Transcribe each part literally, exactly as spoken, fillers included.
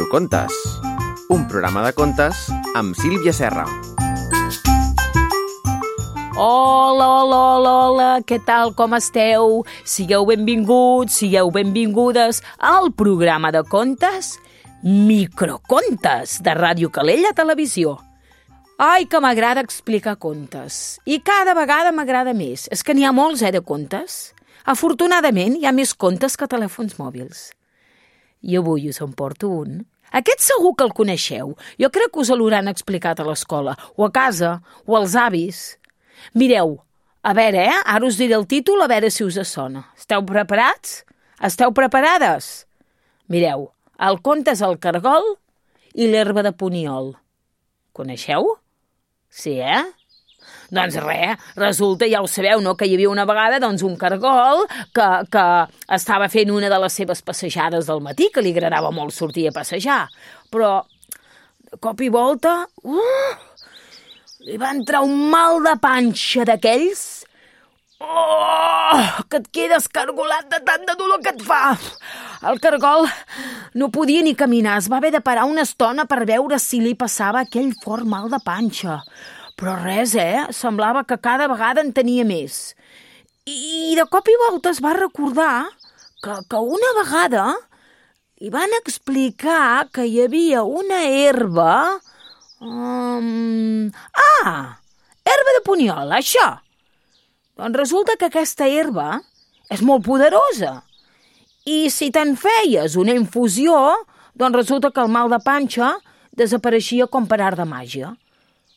Microcontes, un programa de contes amb Sílvia Serra. Hola, hola, hola, hola, què tal, com esteu? Sigueu benvinguts, sigueu benvingudes al programa de contes Microcontes de Ràdio Calella Televisió. Ai, que m'agrada explicar contes. I cada vegada m'agrada més. És que n'hi ha molts, eh, de contes. Afortunadament, hi ha més contes que telèfons mòbils. I avui us en porto un. Aquest segur que el coneixeu. Jo crec que us l'hauran explicat a l'escola, o a casa, o als avis. Mireu, a veure, eh? Ara us diré el títol, a veure si us sona. Esteu preparats? Esteu preparades? Mireu, el conte és el cargol i l'herba de puniol. Coneixeu? Sí, eh? Doncs res, resulta, ja ho sabeu, no?, que hi havia una vegada doncs, un cargol que, que estava fent una de les seves passejades del matí, que li agradava molt sortir a passejar. Però, de cop i volta, uh, li va entrar un mal de panxa d'aquells. Oh, que et quedes cargolat de tant de dolor que et fa. El cargol no podia ni caminar, es va haver de parar una estona per veure si li passava aquell fort mal de panxa. Però res, eh? Semblava que cada vegada en tenia més. I de cop i volta es va recordar que, que una vegada li van explicar que hi havia una herba... Um... Ah! Herba de puniol, això! Doncs resulta que aquesta herba és molt poderosa. I si te'n feies una infusió, doncs resulta que el mal de panxa desapareixia com per art de màgia.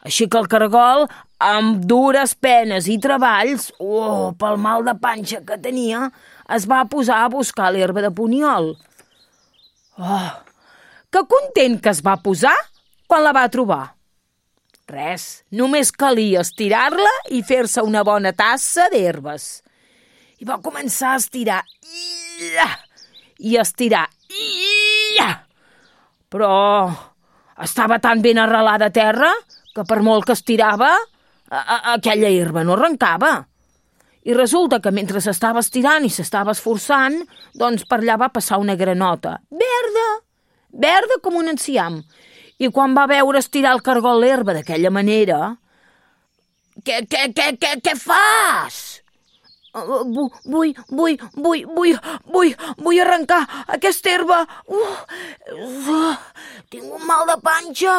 Així que el cargol, amb dures penes i treballs, oh, pel mal de panxa que tenia, es va posar a buscar l'herba de puniol. Oh, que content que es va posar quan la va trobar. Res, només calia estirar-la i fer-se una bona tassa d'herbes. I va començar a estirar i a estirar. Però estava tan ben arrelada a terra que per molt que estirava, a, a, aquella herba no arrencava. I resulta que mentre s'estava estirant i s'estava esforçant, doncs per allà va passar una granota, verda, verda com un enciam. I quan va veure estirar el cargol l'herba d'aquella manera, què, què, què, què, què fas? Uh, vull, vull, vull, vull, vull, vull arrencar aquesta herba. Uh, uh, tinc un mal de panxa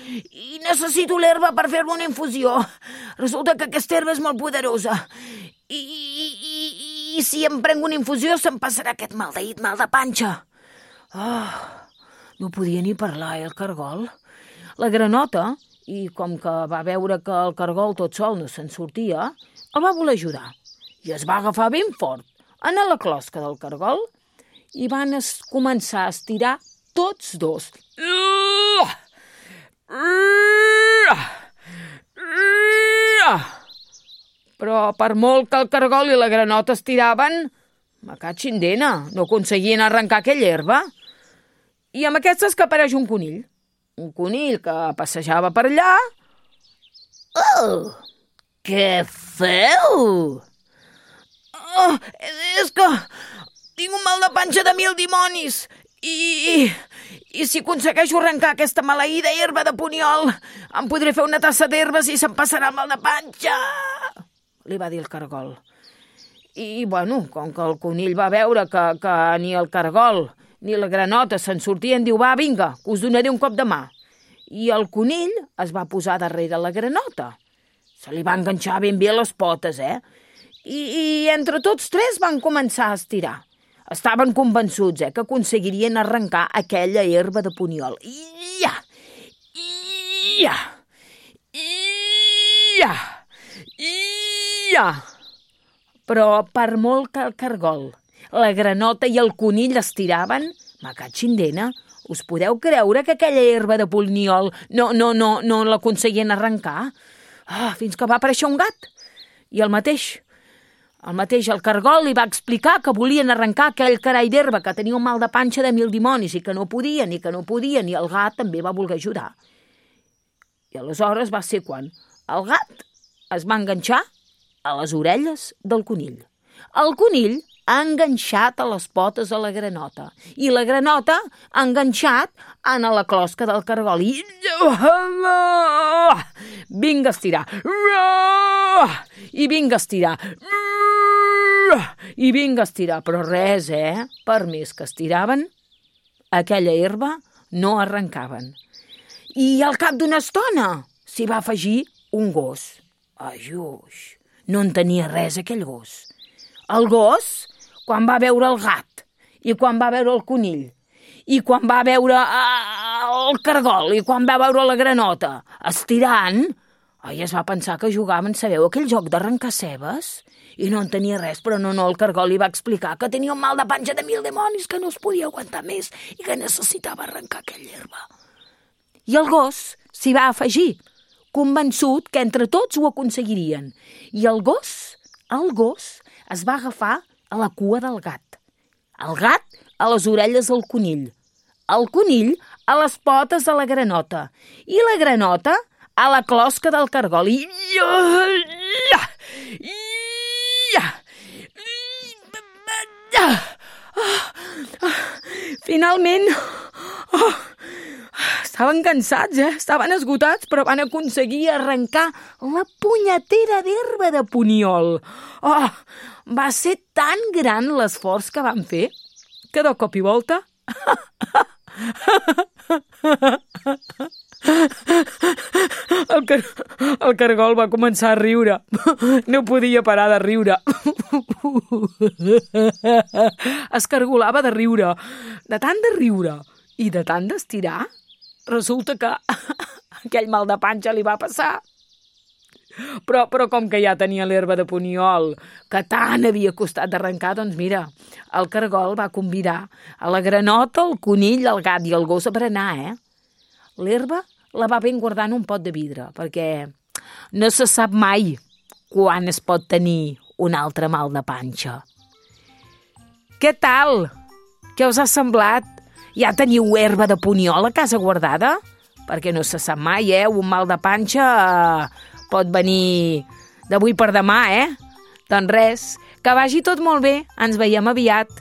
i necessito l'herba per fer-me una infusió. Resulta que aquesta herba és molt poderosa. I, i, i, i si em prenc una infusió se'm passarà aquest maldeït mal de panxa. Oh, no podia ni parlar, eh, el cargol. La granota, i com que va veure que el cargol tot sol no se'n sortia, el va voler ajudar. I es va agafar ben fort en la closca del cargol i van es començar a estirar tots dos. Però per molt que el cargol i la granota estiraven, me catxin dena, no aconseguien arrencar aquella herba. I amb aquestes que apareix un conill. Un conill que passejava per allà. Oh, què feu? Oh, és que tinc un mal de panxa de mil dimonis i, i, i si aconsegueixo arrencar aquesta maleïda herba de puniol em podré fer una tassa d'herbes i se'm passarà el mal de panxa, li va dir el cargol. I, bueno, com que el conill va veure que, que ni el cargol ni la granota se'n sortien, diu, va, vinga, que us donaré un cop de mà. I el conill es va posar darrere la granota. Se li va enganxar ben bé les potes, eh? I, i entre tots tres van començar a estirar. Estaven convençuts, eh, que aconseguirien arrencar aquella herba de puniol. Ia! Ia! Ia! Ia! Però per molt que el cargol, la granota i el conill estiraven, me catxin dena, us podeu creure que aquella herba de puniol no, no, no, no l'aconseguien arrencar? Ah, fins que va aparèixer un gat. I el mateix... El mateix el cargol li va explicar que volien arrencar aquell carai d'herba que tenia un mal de panxa de mil dimonis i que no podien, i que no podien, i el gat també va voler ajudar. I aleshores va ser quan el gat es va enganxar a les orelles del conill. El conill enganxat a les potes de la granota i la granota enganxat en la closca del cargol i vinga a estirar i vinga a estirar i vinga a estirar, però res, eh? Per més que estiraven, aquella herba no arrencaven. I al cap d'una estona s'hi va afegir un gos. Ajuix, no en tenia res aquell gos. El gos, quan va veure el gat, i quan va veure el conill, i quan va veure el cargol, i quan va veure la granota estirant, ai, es va pensar que jugaven, sabeu, aquell joc d'arrencar cebes? I no en tenia res, però no, no, el cargol li va explicar que tenia un mal de panxa de mil dimonis, que no es podia aguantar més i que necessitava arrencar aquella herba. I el gos s'hi va afegir, convençut que entre tots ho aconseguirien. I el gos, el gos, es va agafar a la cua del gat. El gat a les orelles del conill. El conill a les potes de la granota. I la granota a la closca del cargol. I... Finalment, oh, estaven cansats, eh? Estaven esgotats, però van aconseguir arrencar la punyetera d'herba de puniol. Oh, va ser tan gran l'esforç que van fer que de cop i volta... El, car el cargol va començar a riure. No podia parar de riure. Es cargolava de riure. De tant de riure i de tant d'estirar, resulta que aquell mal de panxa li va passar. Però, però com que ja tenia l'herba de puniol, que tant havia costat d'arrencar, doncs mira, el cargol va convidar a la granota, el conill, el gat i el gos a berenar, eh? L'herba la va ben guardar en un pot de vidre, perquè no se sap mai quan es pot tenir un altre mal de panxa. Què tal? Què us ha semblat? Ja teniu herba de puniol a casa guardada? Perquè no se sap mai, eh? Un mal de panxa pot venir d'avui per demà, eh? Doncs res, que vagi tot molt bé. Ens veiem aviat.